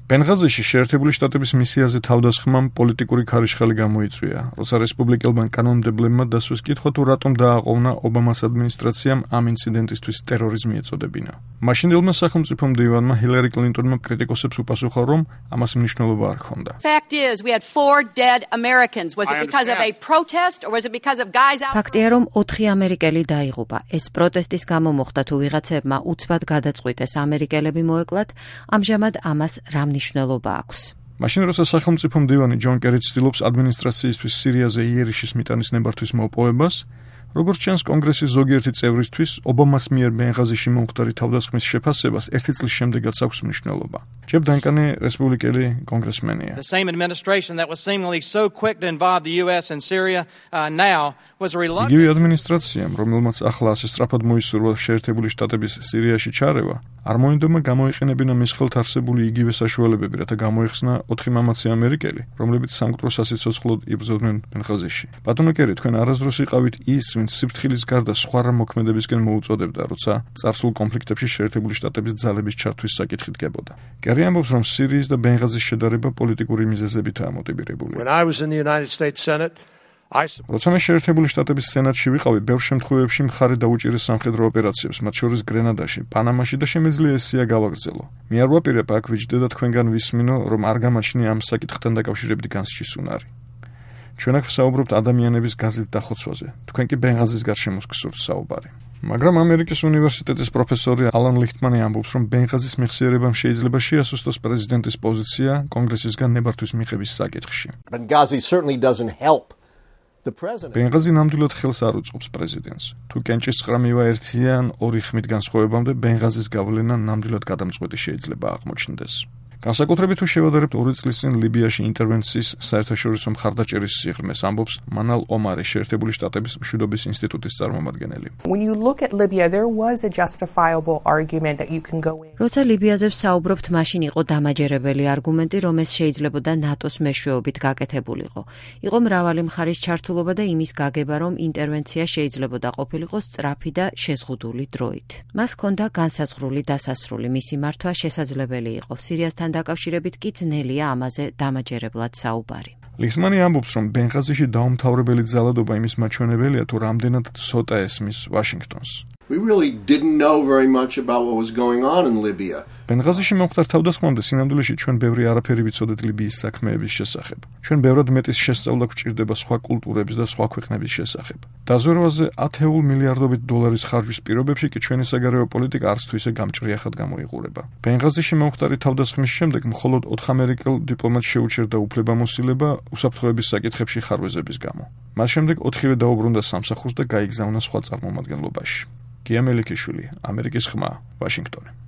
ბენღაზიში შეერთებული შტატების მისიაზე თავდასხმამ პოლიტიკური ქარიშხალი გამოიწვია, როცა რესპუბლიკელმა კანონმდებლებმა დასვეს კითხვა თუ რატომ დააყოვნა ობამას ადმინისტრაციამ ამ ინციდენტისთვის ტერორიზმი ეწოდებინა. მაშინდელმა სახელმწიფო მდივანმა ჰილარი კლინტონმა კრიტიკოსებს უპასუხა, რომ ამას მნიშვნელობა არ ჰქონდა. ფაქტია, რომ 4 ამერიკელი დაიღუპა. ეს პროტესტის გამო მოხდა თუ ვიღაცებმა უცბად გადაწყვიტეს ამერიკელები მოეკლათ, ამჟამად ამას რა მნიშვნელობა აქვს. მაშინ როცა სახელმწიფო მდივანი ჯონ კერი ცდილობს ადმინისტრაციისთვის სირიაზე იერიშის მიტანის ნებართვის მოპოვებას, როგორც ჩანს კონგრესის ზოგიერთი წევრისთვის ობამას მიერ ბენღაზიში მომხდარი თავდასხმის შეფასებას 1 წლის შემდეგაც აქვს მნიშვნელობა. ჯებ დანკანი რესპუბლიკელი კონგრესმენია. იგივე ადმინისტრაციამ, რომელმაც ახლა ასე სწრაფად მოისურვა შეერთებული შტატების სირიაში ჩარევა, არ მოინდომა გამოიყენებინა მის ხელთ არსებული იგივე საშუალებები, რათა გამოეხსნა 4 მამაცი ამერიკელი, რომლებიც სამკვდრო სასიცოცხლოდ იბრძოდნენ ბენღაზიში. ბატონო კერი, თქვენ არასდროს იყავით ის, ვინც სიფრთხილის გარდა სხვა რა მოქმედებისკენ მოუწოდებდა, როცა წარსულ კონფლიქტებში შეერთებული შტატების ძალების ჩართვის საკითხი დგებოდა. კერი ამბობს, რომ სირიის და ბენღაზის შედარება პოლიტიკური მიზეზებითაა მოტივირებული. როცა მე შეერთებული შტატების სენატში ვიყავი, ბევრ შემთხვევებში მხარი დაუჭირეს სამხედრო ოპერაციებს, მათ შორის გრენადაში, პანამაში და შემეძლია ესია გავაგრძელო. მე არ ვაპირებ აქ ვიჯდე და თქვენგან ვისმინო, რომ არ გამაჩნია ამ საკითხთან დაკავშირებით განსჯის უნარი. ჩვენ აქ ვსაუბრობთ ადამიანების გაზით დახოცვაზე. თქვენ კი ბენღაზის გარშემო გსურთ საუბარი. მაგრამ ამერიკის უნივერსიტეტის პროფესორი ალან ლიხტმანი ამბობს, რომ ბენღაზის მეხსიერებამ შეიძლება შეასუსტოს პრეზიდენტის პოზიცია კონგრესისგან ნებართვის მიღების საკითხში. ბენღაზი ნამდვილად ხელს არ უწყობს პრეზიდენტს. თუ კენჭის ცხრამივა 1 ან 2 ხმით განსხვავებამდე ბენღაზის გავლენა ნამდვილად გადამწყვეტი შეიძლება აღმოჩნდეს. განსაკუთრებით თუ შევადარებთ 2 წლის წინ ლიბიაში ინტერვენციის საერთაშორისო მხარდაჭერის სიღრმეს, ამბობს მანალ ომარი, შეერთებული შტატების მშვიდობის ინსტიტუტის წარმომადგენელი. როცა ლიბიაზე ვსაუბრობთ, მაშინ იყო დამაჯერებელი არგუმენტი, რომ ეს შეიძლებოდა ნატოს მეშვეობით გაკეთებულიყო. იყო მრავალი მხარის ჩართულობა და იმის გაგება, რომ ინტერვენცია შეიძლებოდა ყოფილიყო სწრაფი და შეზღუდული დროით. მას ჰქონდა განსაზღვრული დასასრული, მისი მართვა შესაძლებელი იყო. სირიასთან დაკავშირებით კი ძნელია ამაზე დამაჯერებლად საუბარი. ლიხტმანი ამბობს, რომ ბენღაზიში დაუმთავრებელი ძალადობა იმის მაჩვენებელია, თუ რამდენად ცოტა ესმის ვაშინგტონს. ბენღაზიში მომხდარ თავდასხმამდე სინამდვილეში ჩვენ ბევრი არაფერი ვიცოდეთ ლიბიის საქმეების შესახებ. ჩვენ ბევრად მეტის შესწავლა გვჭირდება სხვა კულტურების და სხვა ქვეყნების შესახებ. დაზვერვაზე 10 მილიარდობით დოლარის ხარჯვის პირობებში კი ჩვენი საგარეო პოლიტიკა არც თუ ისე გამჭრიახად გამოიყურება. ბენღაზიში მომხდარი თავდასხმის შემდეგ მხოლოდ 4 ამერიკელ დიპლომატს შეუჩერდა უფლებამოსილება უსაფრთხოების საკითხებში ხარვეზების გამო. მას შემდეგ 4-ვე დაუბრუნდა სამსახურს და გაიგზავნა სხვა წარმომადგენლობაში. გია მელიქიშვილი, ამერიკის ხმა, ვაშინგტონი.